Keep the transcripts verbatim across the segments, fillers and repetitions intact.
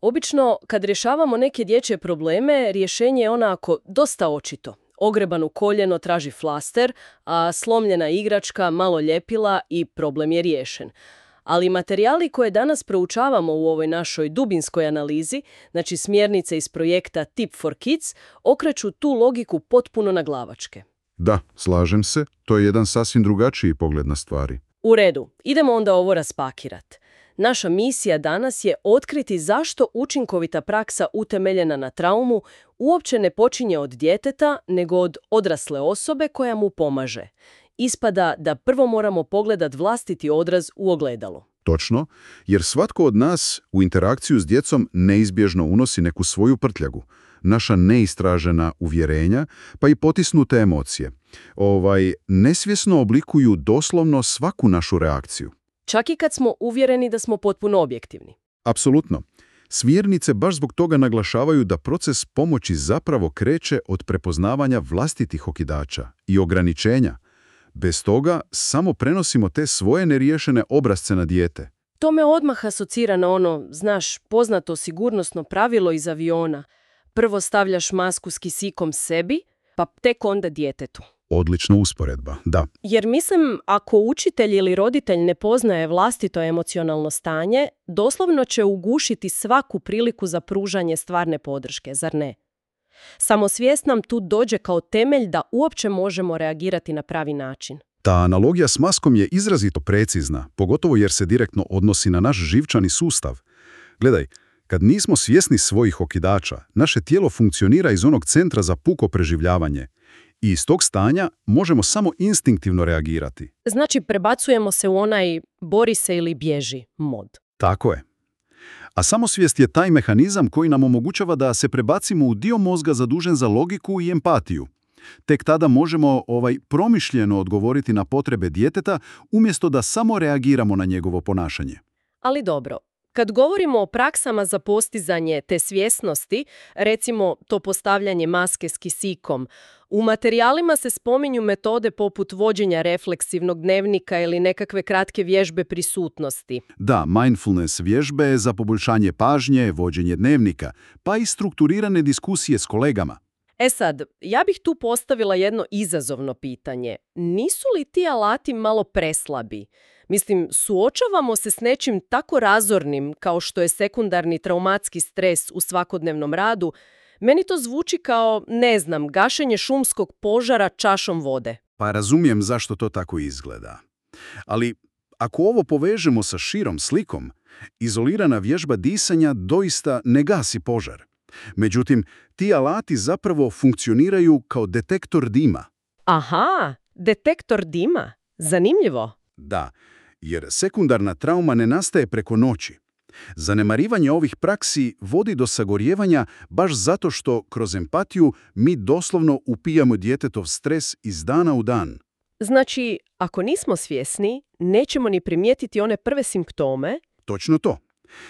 Obično, kad rješavamo neke dječje probleme, rješenje je onako dosta očito. Ogrebano koljeno traži flaster, a slomljena igračka malo ljepila i problem je riješen. Ali materijali koje danas proučavamo u ovoj našoj dubinskoj analizi, znači smjernice iz projekta Tip for Kids, okreću tu logiku potpuno na glavačke. Da, slažem se, to je jedan sasvim drugačiji pogled na stvari. U redu, idemo onda ovo raspakirati. Naša misija danas je otkriti zašto učinkovita praksa utemeljena na traumu uopće ne počinje od djeteta, nego od odrasle osobe koja mu pomaže. Ispada da prvo moramo pogledati vlastiti odraz u ogledalu. Točno, jer svatko od nas u interakciju s djecom neizbježno unosi neku svoju prtljagu, naša neistražena uvjerenja, pa i potisnute emocije. Ovaj, nesvjesno oblikuju doslovno svaku našu reakciju. Čak i kad smo uvjereni da smo potpuno objektivni. Apsolutno. Smjernice baš zbog toga naglašavaju da proces pomoći zapravo kreće od prepoznavanja vlastitih okidača i ograničenja. Bez toga samo prenosimo te svoje neriješene obrazce na dijete. To me odmah asocira na ono, znaš, poznato sigurnosno pravilo iz aviona. Prvo stavljaš masku s kisikom sebi, pa tek onda djetetu. Odlična usporedba, da. Jer mislim, ako učitelj ili roditelj ne poznaje vlastito emocionalno stanje, doslovno će ugušiti svaku priliku za pružanje stvarne podrške, zar ne? Samosvijest nam tu dođe kao temelj da uopće možemo reagirati na pravi način. Ta analogija s maskom je izrazito precizna, pogotovo jer se direktno odnosi na naš živčani sustav. Gledaj, kad nismo svjesni svojih okidača, naše tijelo funkcionira iz onog centra za puko preživljavanje. I iz tog stanja možemo samo instinktivno reagirati. Znači, prebacujemo se u onaj bori se ili bježi mod. Tako je. A samosvijest je taj mehanizam koji nam omogućava da se prebacimo u dio mozga zadužen za logiku i empatiju. Tek tada možemo ovaj promišljeno odgovoriti na potrebe djeteta umjesto da samo reagiramo na njegovo ponašanje. Ali dobro. Kad govorimo o praksama za postizanje te svjesnosti, recimo to postavljanje maske s kisikom, u materijalima se spominju metode poput vođenja refleksivnog dnevnika ili nekakve kratke vježbe prisutnosti. Da, mindfulness vježbe za poboljšanje pažnje, vođenje dnevnika, pa i strukturirane diskusije s kolegama. E sad, ja bih tu postavila jedno izazovno pitanje. Nisu li ti alati malo preslabi? Mislim, suočavamo se s nečim tako razornim kao što je sekundarni traumatski stres u svakodnevnom radu. Meni to zvuči kao, ne znam, gašenje šumskog požara čašom vode. Pa razumijem zašto to tako izgleda. Ali ako ovo povežemo sa širom slikom, izolirana vježba disanja doista ne gasi požar. Međutim, ti alati zapravo funkcioniraju kao detektor dima. Aha, detektor dima? Zanimljivo. Da, jer sekundarna trauma ne nastaje preko noći. Zanemarivanje ovih praksi vodi do sagorjevanja baš zato što kroz empatiju mi doslovno upijamo djetetov stres iz dana u dan. Znači, ako nismo svjesni, nećemo ni primijetiti one prve simptome. Točno to.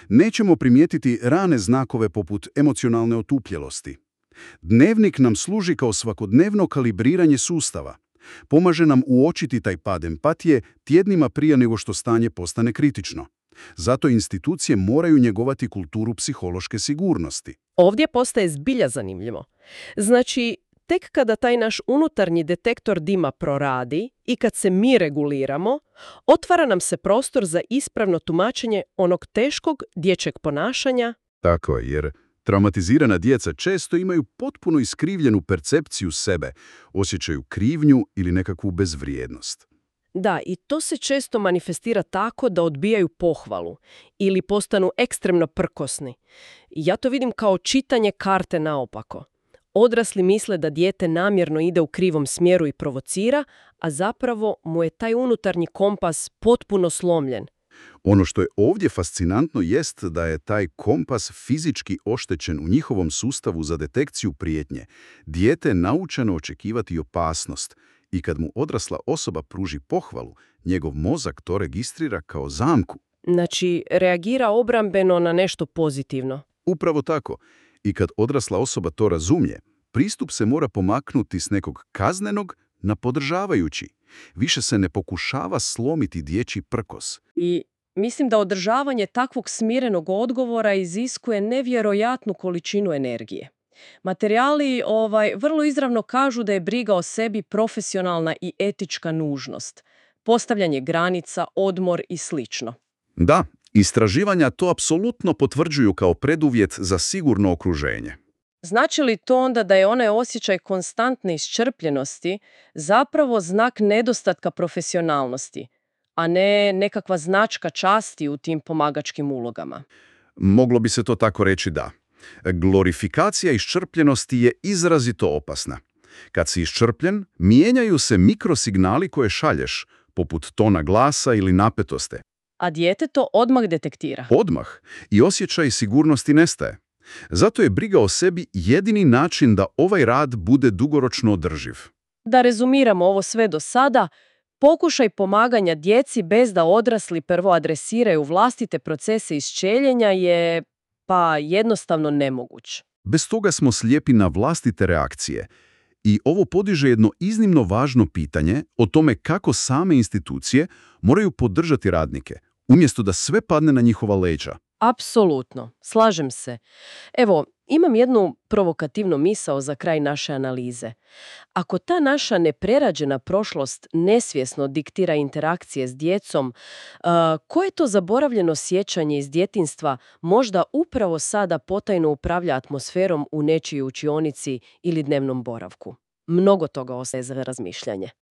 Nećemo primijetiti rane znakove poput emocionalne otupjelosti. Dnevnik nam služi kao svakodnevno kalibriranje sustava. Pomaže nam uočiti taj pad empatije tjednima prije nego što stanje postane kritično. Zato institucije moraju njegovati kulturu psihološke sigurnosti. Ovdje postaje zbilja zanimljivo. Znači, tek kada taj naš unutarnji detektor dima proradi i kad se mi reguliramo, otvara nam se prostor za ispravno tumačenje onog teškog dječjeg ponašanja. Tako je, jer traumatizirana djeca često imaju potpuno iskrivljenu percepciju sebe, osjećaju krivnju ili nekakvu bezvrijednost. Da, i to se često manifestira tako da odbijaju pohvalu ili postanu ekstremno prkosni. Ja to vidim kao čitanje karte naopako. Odrasli misle da dijete namjerno ide u krivom smjeru i provocira, a zapravo mu je taj unutarnji kompas potpuno slomljen. Ono što je ovdje fascinantno jest da je taj kompas fizički oštećen u njihovom sustavu za detekciju prijetnje. Dijete naučeno očekivati opasnost i kad mu odrasla osoba pruži pohvalu, njegov mozak to registrira kao zamku. Znači, reagira obrambeno na nešto pozitivno. Upravo tako. I kad odrasla osoba to razumije, pristup se mora pomaknuti s nekog kaznenog na podržavajući. Više se ne pokušava slomiti dječji prkos. I Mislim da održavanje takvog smirenog odgovora iziskuje nevjerojatnu količinu energije. Materijali ovaj, vrlo izravno kažu da je briga o sebi profesionalna i etička nužnost. Postavljanje granica, odmor i slično. Da, istraživanja to apsolutno potvrđuju kao preduvjet za sigurno okruženje. Znači li to onda da je onaj osjećaj konstantne iscrpljenosti zapravo znak nedostatka profesionalnosti, a ne nekakva značka časti u tim pomagačkim ulogama? Moglo bi se to tako reći, da. Glorifikacija iscrpljenosti je izrazito opasna. Kad si iscrpljen, mijenjaju se mikrosignali koje šalješ, poput tona glasa ili napetosti. A dijete to odmah detektira. Odmah. I osjećaj sigurnosti nestaje. Zato je briga o sebi jedini način da ovaj rad bude dugoročno održiv. Da rezumiramo ovo sve do sada, pokušaj pomaganja djeci bez da odrasli prvo adresiraju vlastite procese isčeljenja je, pa, jednostavno nemoguć. Bez toga smo slijepi na vlastite reakcije. I ovo podiže jedno iznimno važno pitanje o tome kako same institucije moraju podržati radnike, umjesto da sve padne na njihova leđa. Apsolutno, slažem se. Evo, imam jednu provokativnu misao za kraj naše analize. Ako ta naša neprerađena prošlost nesvjesno diktira interakcije s djecom, uh, koje to zaboravljeno sjećanje iz djetinjstva možda upravo sada potajno upravlja atmosferom u nečijoj učionici ili dnevnom boravku? Mnogo toga ostaje za razmišljanje.